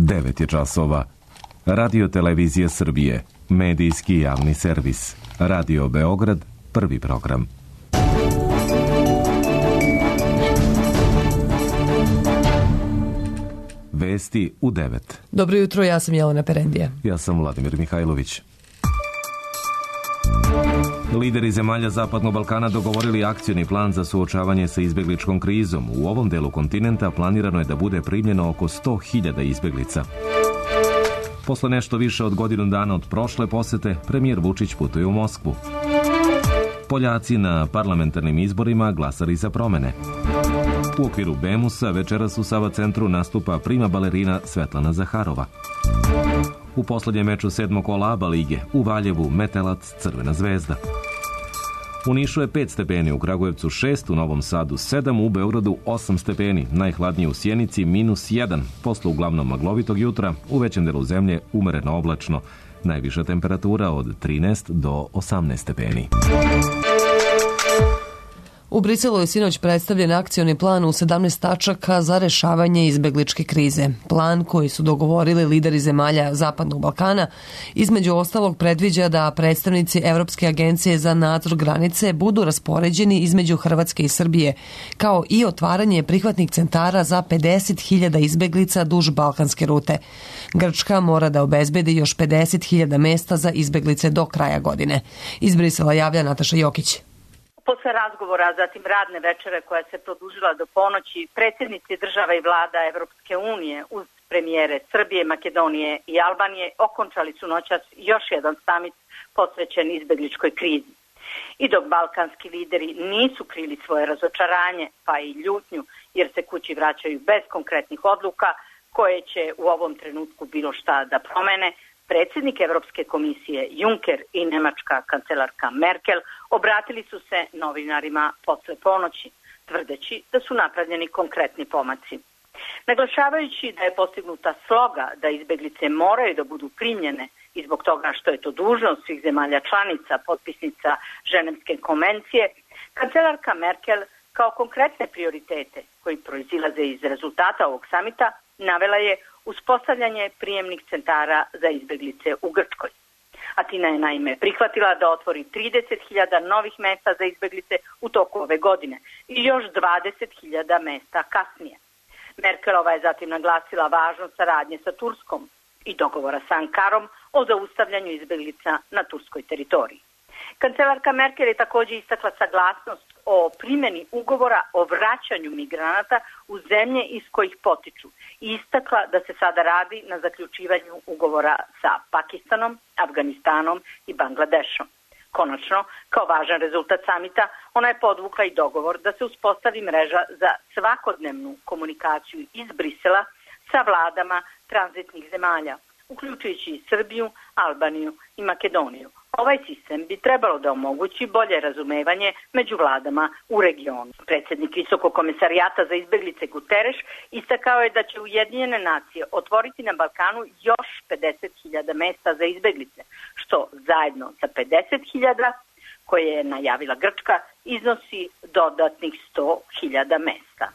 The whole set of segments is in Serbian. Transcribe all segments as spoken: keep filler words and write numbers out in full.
devet je časova. Radio Televizija Srbije, medijski javni servis. Radio Beograd, prvi program. Vesti u devet. Dobro jutro, ja sam Jelena Perendija. Ja sam Vladimir Mihajlović. Lideri zemalja Zapadnog Balkana dogovorili akcioni plan za suočavanje sa izbegličkom krizom. U ovom delu kontinenta planirano je da bude primljeno oko sto hiljada izbeglica. Posle nešto više od godinu dana od prošle posete, premijer Vučić putuje u Moskvu. Poljaci na parlamentarnim izborima glasali za promene. U okviru Bemusa večeras u Sava centru nastupa prima balerina Svetlana Zaharova. U poslednjem meču sedmog kola ABA lige u Valjevu Metelac Crvena zvezda. U Nišu je pet stepeni, u Kragujevcu šest, u Novom Sadu sedam, u Beogradu osam stepeni, najhladnije u Sjenici minus jedan. Posle uglavnom maglovitog jutra, u većem delu zemlje umereno oblačno. Najviša temperatura od trinaest do osamnaest stepeni. U Briselu je sinoć predstavljen akcioni plan u sedamnaest tačaka za rešavanje izbegličke krize. Plan koji su dogovorili lideri zemalja Zapadnog Balkana između ostalog predviđa da predstavnici Evropske agencije za nadzor granice budu raspoređeni između Hrvatske i Srbije, kao i otvaranje prihvatnih centara za pedeset hiljada izbeglica duž balkanske rute. Grčka mora da obezbedi još pedeset hiljada mesta za izbeglice do kraja godine. Iz Brisela javlja Nataša Jokić. Posle razgovora, zatim radne večere koja se produžila do ponoći, predsjednici država i vlada Evropske unije uz premijere Srbije, Makedonije i Albanije okončali su noćas još jedan samit posvećen izbegličkoj krizi. I dok balkanski lideri nisu krili svoje razočaranje, pa i ljutnju, jer se kući vraćaju bez konkretnih odluka koje će u ovom trenutku bilo šta da promene, predsjednik Evropske komisije Juncker i nemačka kancelarka Merkel obratili su se novinarima posle ponoći, tvrdeći da su napravljeni konkretni pomaci. Naglašavajući da je postignuta sloga da izbeglice moraju da budu primljene i zbog toga što je to dužnost svih zemalja članica, potpisnica Ženevske konvencije, kancelarka Merkel kao konkretne prioritete koji proizilaze iz rezultata ovog samita navela je uspostavljanje prijemnih centara za izbeglice u Grčkoj. Atina je naime prihvatila da otvori trideset hiljada novih mesta za izbeglice u toku ove godine i još dvadeset hiljada mesta kasnije. Merkelova je zatim naglasila važnost saradnje sa Turskom i dogovora sa Ankarom o zaustavljanju izbeglica na turskoj teritoriji. Kancelarka Merkel je također istakla saglasnost o primjeni ugovora o vraćanju migranata u zemlje iz kojih potiču i istakla da se sada radi na zaključivanju ugovora sa Pakistanom, Afganistanom i Bangladešom. Konačno, kao važan rezultat samita, ona je podvukla i dogovor da se uspostavi mreža za svakodnevnu komunikaciju iz Brisela sa vladama tranzitnih zemalja, uključujući i Srbiju, Albaniju i Makedoniju. Ovaj sistem bi trebalo da omogući bolje razumevanje među vladama u regionu. Predsjednik Visokog komesarijata za izbeglice Guterres istakao je da će Ujedinjene nacije otvoriti na Balkanu još pedeset hiljada mesta za izbeglice, što zajedno sa pedeset hiljada koje je najavila Grčka iznosi dodatnih sto hiljada mesta.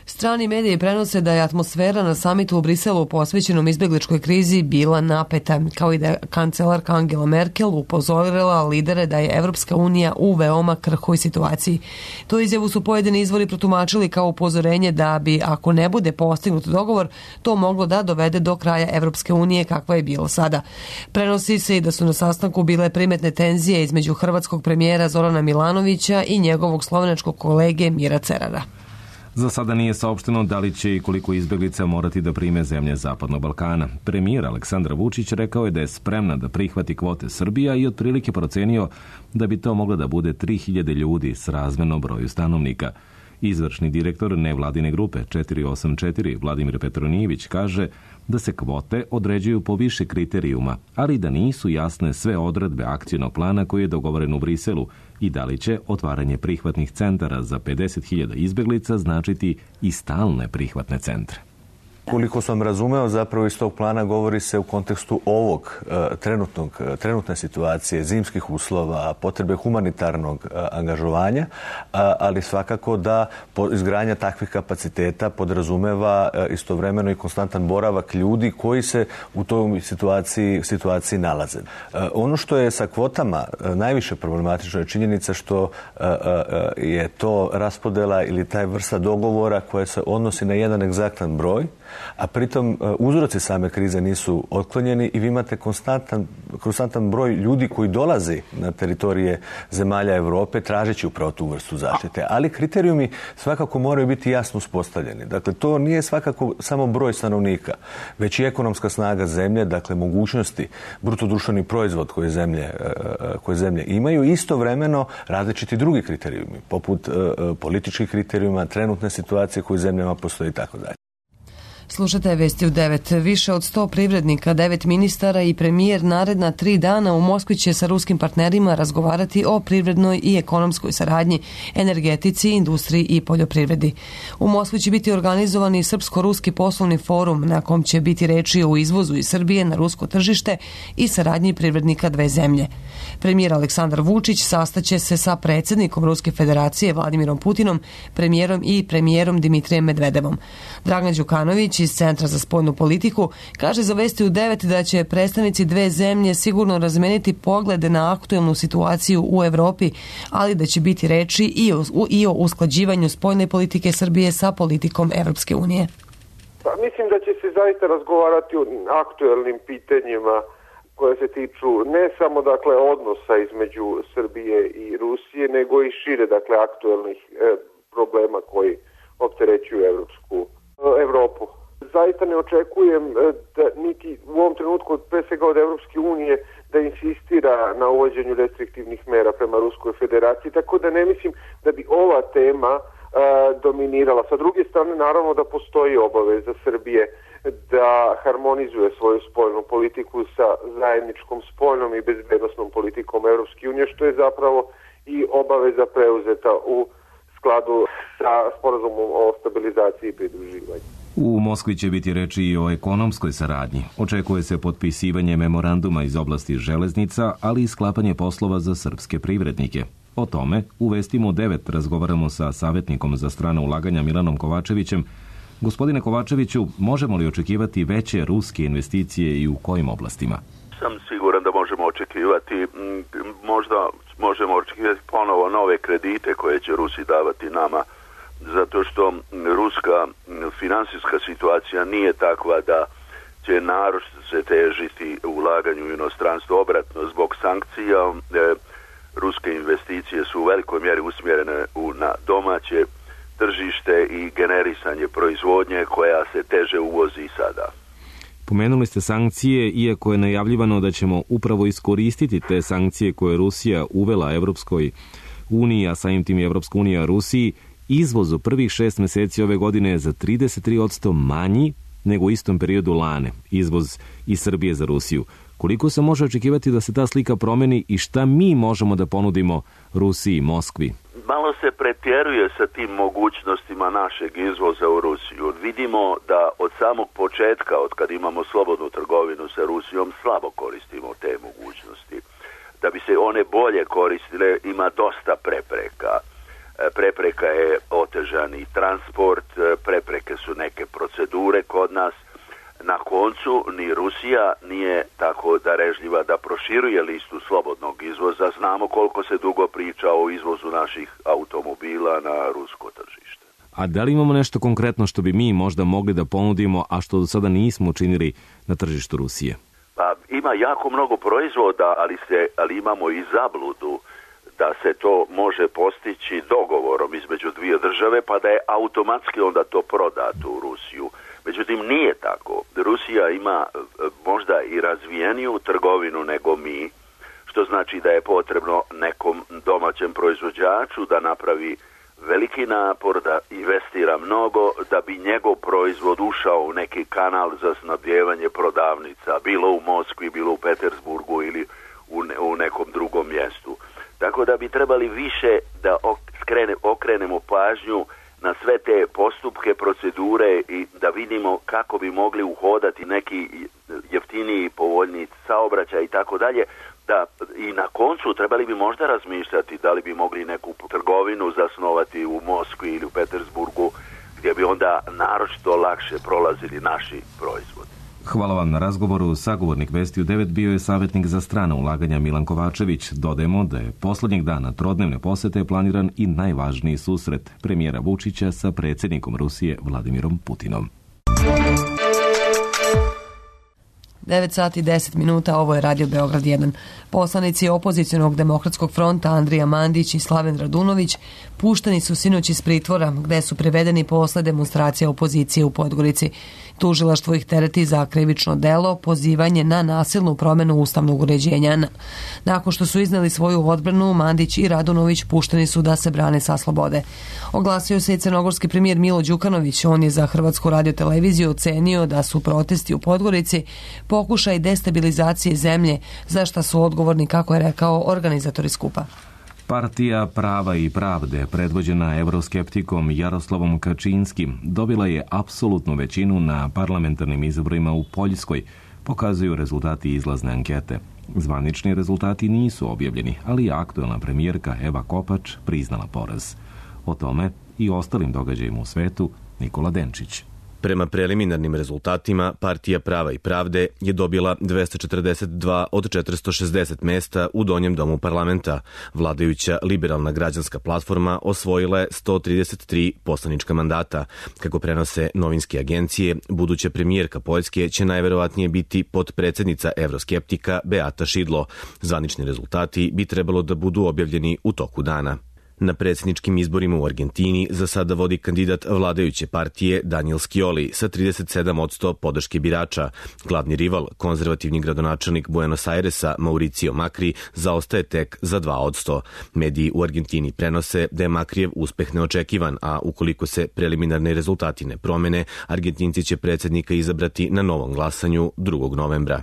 Strani mediji prenose da je atmosfera na samitu u Briselu posvećenom izbegličkoj krizi bila napeta, kao i da je kancelarka Angela Merkel upozorila lidere da je Evropska unija u veoma krhkoj situaciji. Tu izjavu su pojedini izvori protumačili kao upozorenje da bi, ako ne bude postignut dogovor, to moglo da dovede do kraja Evropske unije kakva je bilo sada. Prenosi se i da su na sastanku bile primetne tenzije između hrvatskog premijera Zorana Milanovića i njegovog slovenačkog kolege Mira Cerara. Za sada nije saopšteno da li će i koliko izbeglica morati da prime zemlje Zapadnog Balkana. Premijer Aleksandar Vučić rekao je da je spremna da prihvati kvote Srbija i otprilike procenio da bi to moglo da bude tri hiljade ljudi s razmerno broju stanovnika. Izvršni direktor nevladine grupe četiri osam četiri Vladimir Petronijević kaže da se kvote određuju po više kriterijuma, ali da nisu jasne sve odredbe akcijnog plana koji je dogovoren u Briselu i da li će otvaranje prihvatnih centara za pedeset hiljada izbeglica značiti i stalne prihvatne centre. Koliko sam razumeo, zapravo iz tog plana govori se u kontekstu ovog trenutnog, trenutne situacije, zimskih uslova, potrebe humanitarnog angažovanja, ali svakako da izgradnja takvih kapaciteta podrazumeva istovremeno i konstantan boravak ljudi koji se u toj situaciji, situaciji nalaze. Ono što je sa kvotama najviše problematično je činjenica što je to raspodela ili taj vrsta dogovora koja se odnosi na jedan egzaktan broj, a pritom uzroci same krize nisu otklonjeni i vi imate konstantan, konstantan broj ljudi koji dolazi na teritorije zemalja Europe tražeći upravo tu vrstu zaštite. Ali kriterijumi svakako moraju biti jasno uspostavljeni. Dakle, to nije svakako samo broj stanovnika, već i ekonomska snaga zemlje, dakle mogućnosti, brutodruštveni proizvod koje zemlje, koje zemlje imaju, istovremeno različiti drugi kriterijumi, poput političkih kriterijuma, trenutne situacije koje u zemljama postoji i tako dalje. Slušate Vesti u devet. Više od sto privrednika, devet ministara i premijer naredna tri dana u Moskvi će sa ruskim partnerima razgovarati o privrednoj i ekonomskoj saradnji, energetici, industriji i poljoprivredi. U Moskvi će biti organizovani Srpsko-ruski poslovni forum na kom će biti reči o izvozu iz Srbije na rusko tržište i saradnji privrednika dve zemlje. Premijer Aleksandar Vučić sastaće se sa predsjednikom Ruske federacije Vladimirom Putinom, premijerom i premijerom Dimitrijem Medvedevom. Dragan Đukanović iz Centra za spoljnu politiku kaže za Vesti u devet da će predstavnici dve zemlje sigurno razmeniti poglede na aktuelnu situaciju u Evropi, ali da će biti reči i o, i o usklađivanju spoljne politike Srbije sa politikom Evropske unije. Pa, mislim da će se zaista razgovarati o aktuelnim pitanjima koje se tiču ne samo dakle odnosa između Srbije i Rusije, nego i šire dakle aktuelnih e, problema koji opterećuju Evropsku Evropu. Zaista ne očekujem da niti u ovom trenutku pre svega od Evropske unije da insistira na uvođenju restriktivnih mera prema Ruskoj federaciji, tako da ne mislim da bi ova tema a, dominirala. Sa druge strane, naravno da postoji obaveza Srbije da harmonizuje svoju spoljnu politiku sa zajedničkom spoljnom i bezbednosnom politikom Evropske unije, što je zapravo i obaveza preuzeta u skladu sa sporazumom o stabilizaciji i pridruživanju. U Moskvi će biti reči i o ekonomskoj saradnji. Očekuje se potpisivanje memoranduma iz oblasti železnica, ali i sklapanje poslova za srpske privrednike. O tome u Vestima u devet razgovaramo sa savjetnikom za strana ulaganja Milanom Kovačevićem. Gospodine Kovačeviću, možemo li očekivati veće ruske investicije i u kojim oblastima? Sam siguran da možemo očekivati, možda možemo očekivati ponovo nove kredite koje će Rusi davati nama, zato što ruska finansijska situacija nije takva da će naročito se težiti u ulaganju u inostranstvo. Obratno, zbog sankcija e, ruske investicije su u velikoj mjeri usmjerene u, na domaće tržište i generisanje proizvodnje koja se teže uvozi i sada. Pomenuli ste sankcije, iako je najavljivano da ćemo upravo iskoristiti te sankcije koje je Rusija uvela Evropskoj uniji, a samim tim i Evropska unija Rusiji. Izvoz u prvih šest mjeseci ove godine je za trideset tri posto manji nego u istom periodu lane, izvoz iz Srbije za Rusiju. Koliko se može očekivati da se ta slika promeni i šta mi možemo da ponudimo Rusiji i Moskvi? Malo se pretjeruje sa tim mogućnostima našeg izvoza u Rusiju. Vidimo da od samog početka, od kad imamo slobodnu trgovinu sa Rusijom, slabo koristimo te mogućnosti. Da bi se one bolje koristile, ima dosta prepreka. Prepreka je otežani transport, prepreke su neke procedure kod nas. Na koncu ni Rusija nije tako darežljiva da proširuje listu slobodnog izvoza. Znamo koliko se dugo priča o izvozu naših automobila na rusko tržište. A da li imamo nešto konkretno što bi mi možda mogli da ponudimo, a što do sada nismo učinili na tržištu Rusije? Pa ima jako mnogo proizvoda, ali, se, ali imamo i zabludu da se to može postići dogovorom između dvije države, pa da je automatski onda to prodato u Rusiju. Međutim, nije tako. Rusija ima možda i razvijeniju trgovinu nego mi, što znači da je potrebno nekom domaćem proizvođaču da napravi veliki napor, da investira mnogo, da bi njegov proizvod ušao u neki kanal za snabdijevanje prodavnica, bilo u Moskvi, bilo u Petersburgu ili u, ne, u nekom drugom mjestu. Tako da bi trebali više da okrene, okrenemo pažnju na sve te postupke, procedure i da vidimo kako bi mogli uhodati neki jeftiniji, povoljniji saobraćaj i tako dalje. Da, i na koncu trebali bi možda razmišljati da li bi mogli neku trgovinu zasnovati u Moskvi ili u Petersburgu, gdje bi onda naročito lakše prolazili naši proizvodi. Hvala vam na razgovoru. Sagovornik Vesti u devet bio je savjetnik za strana ulaganja Milan Kovačević. Dodajemo da je posljednjeg dana trodnevne posjete planiran i najvažniji susret premijera Vučića sa predsjednikom Rusije Vladimirom Putinom. devet sati i deset minuta, ovo je Radio Beograd jedan. Poslanici opozicionog demokratskog fronta Andrija Mandić i Slaven Radunović pušteni su sinoć iz pritvora, gde su privedeni posle demonstracija opozicije u Podgorici. Tužilaštvo ih tereti za krivično delo, pozivanje na nasilnu promjenu ustavnog uređenja. Nakon što su izneli svoju odbranu, Mandić i Radunović pušteni su da se brane sa slobode. Oglasio se i crnogorski premijer Milo Đukanović. On je za Hrvatsku radioteleviziju ocenio da su protesti u Podgorici pokušaj destabilizacije zemlje, za šta su odgovorni, kako je rekao, organizatori skupa. Partija Prava i pravde, predvođena euroskeptikom Jaroslavom Kačinskim, dobila je apsolutnu većinu na parlamentarnim izborima u Poljskoj, pokazuju rezultati izlazne ankete. Zvanični rezultati nisu objavljeni, ali je aktuelna premijerka Eva Kopač priznala poraz. O tome i ostalim događajima u svetu Nikola Denčić. Prema preliminarnim rezultatima, Partija Prava i pravde je dobila dvesta četrdeset dva od četiristo šezdeset mesta u Donjem domu parlamenta. Vladajuća liberalna građanska platforma osvojila je sto trideset tri poslanička mandata. Kako prenose novinske agencije, buduća premijerka Poljske će najverovatnije biti potpredsjednica evroskeptika Beata Šidlo. Zvanični rezultati bi trebalo da budu objavljeni u toku dana. Na predsjedničkim izborima u Argentini za sada vodi kandidat vladajuće partije Daniel Scioli sa trideset sedam posto podrške birača. Glavni rival, konzervativni gradonačelnik Buenos Airesa Mauricio Macri, zaostaje tek za dva posto. Mediji u Argentini prenose da je Macrijev uspeh neočekivan, a ukoliko se preliminarni rezultati ne promene, Argentinci će predsjednika izabrati na novom glasanju drugog novembra.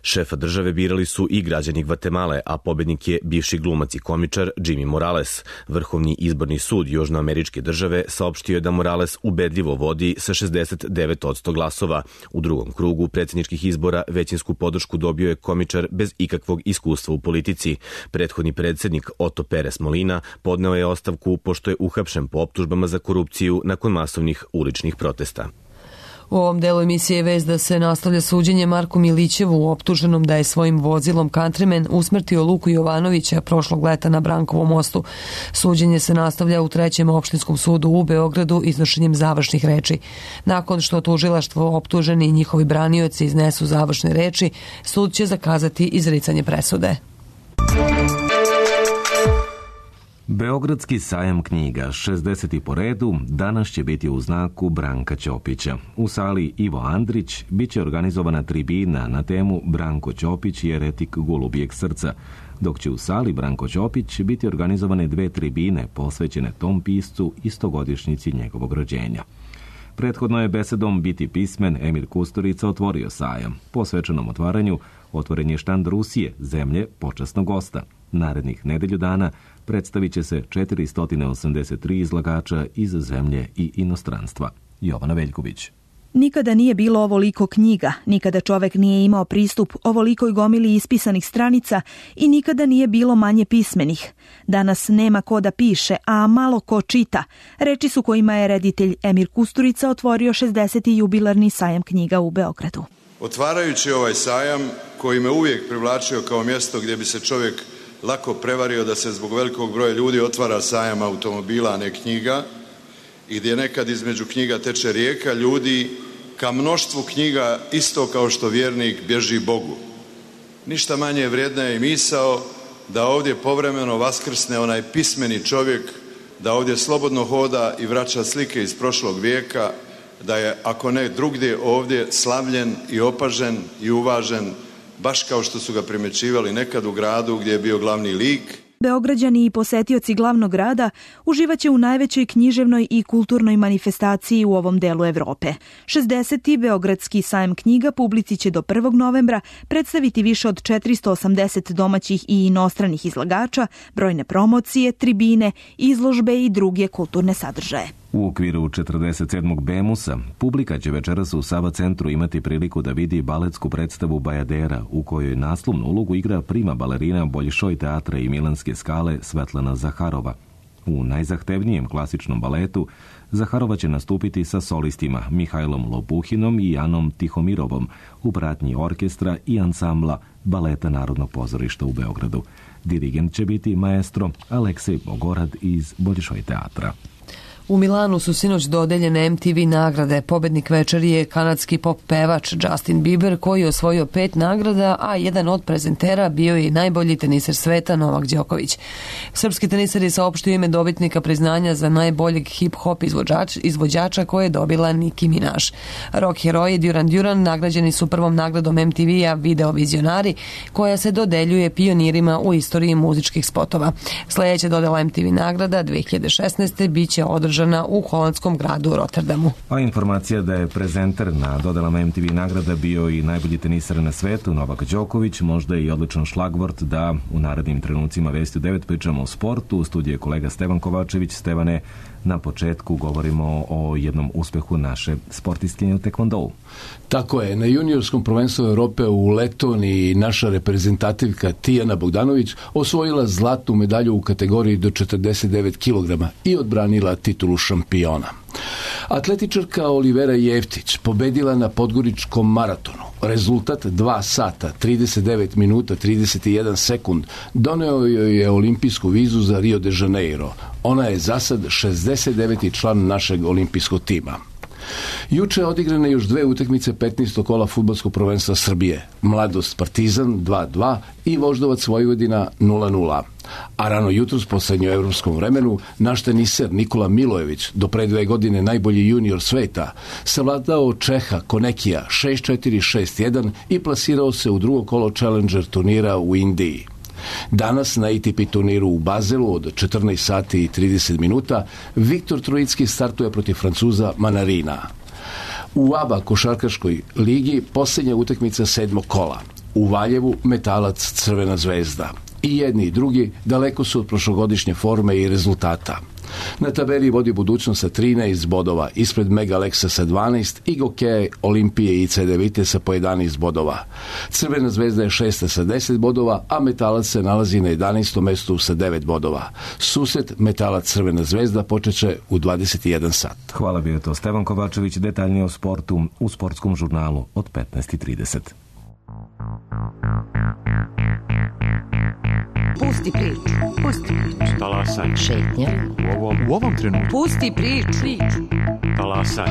Šefa države birali su i građani Gvatemale, a pobednik je bivši glumac i komičar Jimmy Morales. Vrhovni izborni sud Južnoameričke države saopštio je da Morales ubedljivo vodi sa šezdeset devet posto glasova. U drugom krugu predsjedničkih izbora većinsku podršku dobio je komičar bez ikakvog iskustva u politici. Prethodni predsjednik Otto Pérez Molina podneo je ostavku pošto je uhapšen po optužbama za korupciju nakon masovnih uličnih protesta. U ovom delu emisije je vest da se nastavlja suđenje Marku Milićevu, optuženom da je svojim vozilom Countryman usmrtio Luku Jovanovića prošlog leta na Brankovom mostu. Suđenje se nastavlja u trećem opštinskom sudu u Beogradu iznošenjem završnih reči. Nakon što tužilaštvo, optuženi i njihovi branioci iznesu završne reči, sud će zakazati izricanje presude. Beogradski sajam knjiga, šezdeseti po redu, danas će biti u znaku Branka Ćopića. U sali Ivo Andrić bit će organizovana tribina na temu Branko Ćopić je eretik golubijeg srca, dok će u sali Branko Ćopić biti organizovane dve tribine posvećene tom piscu i stogodišnjici njegovog rođenja. Prethodno je besedom Biti pismen Emir Kusturica otvorio sajam. Po svečanom otvaranju otvoren je štand Rusije, zemlje počasnog gosta. Narednih nedelju dana predstavit će se četiristo osamdeset tri izlagača iz zemlje i inostranstva. Jovana Veljković. Nikada nije bilo ovoliko knjiga, nikada čovek nije imao pristup ovolikoj gomili ispisanih stranica i nikada nije bilo manje pismenih. Danas nema ko da piše, a malo ko čita. Reči su kojima je reditelj Emir Kusturica otvorio šezdeseti jubilarni sajam knjiga u Beogradu. Otvarajući ovaj sajam, koji me uvijek privlačio kao mjesto gdje bi se čovjek lako prevario da se zbog velikog broja ljudi otvara sajam automobila, a ne knjiga, i gdje nekad između knjiga teče rijeka ljudi, ka mnoštvu knjiga isto kao što vjernik bježi Bogu. Ništa manje vrijedna je i misao da ovdje povremeno vaskrsne onaj pismeni čovjek, da ovdje slobodno hoda i vraća slike iz prošlog vijeka, da je, ako ne drugdje, ovdje slavljen i opažen i uvažen, baš kao što su ga primjećivali nekad u gradu gdje je bio glavni lik. Beograđani i posetioci glavnog grada uživaće u najvećoj književnoj i kulturnoj manifestaciji u ovom delu Evrope. šezdeseti Beogradski sajam knjiga publici će do prvog novembra predstaviti više od četiristo osamdeset domaćih i inostranih izlagača, brojne promocije, tribine, izložbe i druge kulturne sadržaje. U okviru četrdeset sedmog Bemusa publika će večeras u Sava centru imati priliku da vidi baletsku predstavu Bajadera, u kojoj naslovnu ulogu igra prima balerina Boljšoj teatra i Milanske skale Svetlana Zaharova. U najzahtevnijem klasičnom baletu Zaharova će nastupiti sa solistima Mihajlom Lopuhinom i Janom Tihomirovom u pratnji orkestra i ansambla Baleta Narodnog pozorišta u Beogradu. Dirigent će biti maestro Aleksej Bogorad iz Boljšoj teatra. U Milanu su sinoć dodeljene em te ve nagrade. Pobednik večeri je kanadski pop pevač Justin Bieber, koji je osvojio pet nagrada, a jedan od prezentera bio je i najbolji teniser sveta Novak Đoković. Srpski teniser je saopštio ime dobitnika priznanja za najboljeg hip-hop izvođač, izvođača koje je dobila Nicki Minaj. Rock heroji Duran Duran nagrađeni su prvom nagradom em te ve-a Video vizionari, koja se dodeljuje pionirima u istoriji muzičkih spotova. Sljedeća dodela em te ve nagrada dve hiljade šesnaeste biće održana u holandskom gradu Rotterdamu. A informacija da je prezenter na dodelama em te ve nagrada bio i najbolji teniser na svetu Novak Đoković, možda je i odličan šlagvort da u narednim trenucima Vesti u devet pričamo o sportu. U studiju je kolega Stevan Kovačević. Stevane, na početku govorimo o jednom uspehu naše sportistkinje u tekvondou. Tako je, na juniorskom prvenstvu Europe u Letoniji naša reprezentativka Tijana Bogdanović osvojila zlatnu medalju u kategoriji do četrdeset devet kilograma i odbranila titulu šampiona. Atletičarka Olivera Jeftić pobedila na podgoričkom maratonu. Rezultat dva sata, trideset devet minuta, trideset jedan sekund doneo joj je olimpijsku vizu za Rio de Janeiro. Ona je zasad šezdeset deveti član našeg olimpijskog tima. Juče je odigrane još dve utakmice petnaestog kola fudbalskog prvenstva Srbije. Mladost Partizan dva dva i Voždovac Vojvodina nula nula. A rano jutros po srednjoevropskom vremenu naš teniser Nikola Milojević, do pre dve godine najbolji junior sveta, savladao Čeha Konekija šest četiri šest jedan i plasirao se u drugo kolo Challenger turnira u Indiji. Danas na A T P turniru u Bazelu od četrnaest sati i trideset minuta Viktor Trojicki startuje protiv Francuza Manarina. U A B A košarkaškoj ligi posljednja utakmica sedmog kola. U Valjevu Metalac Crvena zvezda. I jedni i drugi daleko su od prošlogodišnje forme i rezultata. Na tabeli vodi Budućnost sa trinaest bodova, ispred Mega Aleksa sa dvanaest i Gokeja, Olimpije i C D Vite sa po jedanaest bodova. Crvena zvezda je šesta sa deset bodova, a Metalac se nalazi na jedanaestom mestu sa devet bodova. Susret Metalac Crvena zvezda počeće u dvadeset jedan sat. Hvala, bio je to Stevan Kovačević, detaljnije o sportu u sportskom žurnalu od petnaest i trideset. Pusti priču, pusti priču. Talasaj. Šetnja. U ovom, u ovom trenutku. Pusti priču. Talasaj.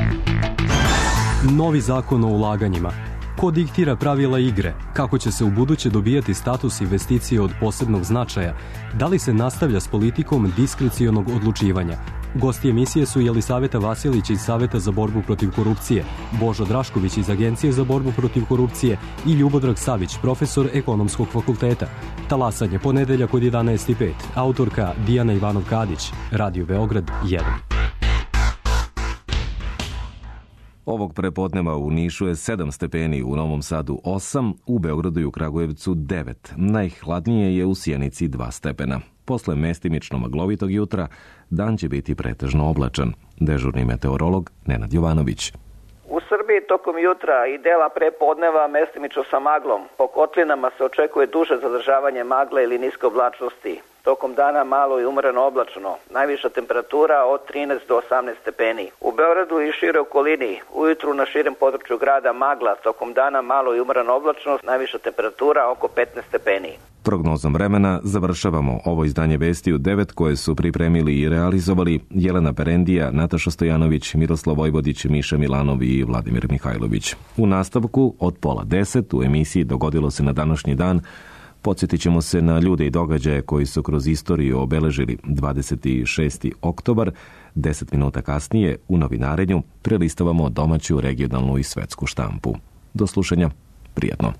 Novi zakon o ulaganjima. Ko diktira pravila igre? Kako će se u buduće dobijati status investicije od posebnog značaja? Da li se nastavlja s politikom diskrecionog odlučivanja? Gosti emisije su Jelisaveta Vasilić iz Saveta za borbu protiv korupcije, Božo Drašković iz Agencije za borbu protiv korupcije i Ljubodrag Savić, profesor Ekonomskog fakulteta. Talasanje, ponedeljak od jedanaest i pet. Autorka Dijana Ivanov-Kadić, Radio Beograd jedan. Ovog prepodneva u Nišu je sedam stepeni, u Novom Sadu osam, u Beogradu i u Kragujevcu devet. Najhladnije je u Sjenici dva stepena. Posle mestimično maglovitog jutra, dan će biti pretežno oblačan. Dežurni meteorolog Nenad Jovanović. U Srbiji tokom jutra i dela prepodneva mestimično sa maglom. Po kotlinama se očekuje duže zadržavanje magle ili niske oblačnosti. Tokom dana malo i umreno oblačno. Najviša temperatura od trinaest do osamnaest stepeni. U Beogradu i šire okolini, ujutru na širem području grada magla, tokom dana malo i umreno oblačnost, najviša temperatura oko petnaest stepeni. Prognozom vremena završavamo ovo izdanje Vesti u devet koje su pripremili i realizovali Jelena Perendija, Nataša Stojanović, Miroslav Vojvodić, Miša Milanov i Vladimir Mihajlović. U nastavku od pola deset u emisiji Dogodilo se na današnji dan podsjetit ćemo se na ljude i događaje koji su kroz istoriju obeležili dvadeset šesti oktobar. Deset minuta kasnije u novinarenju prelistavamo domaću, regionalnu i svetsku štampu. Do slušanja, prijatno.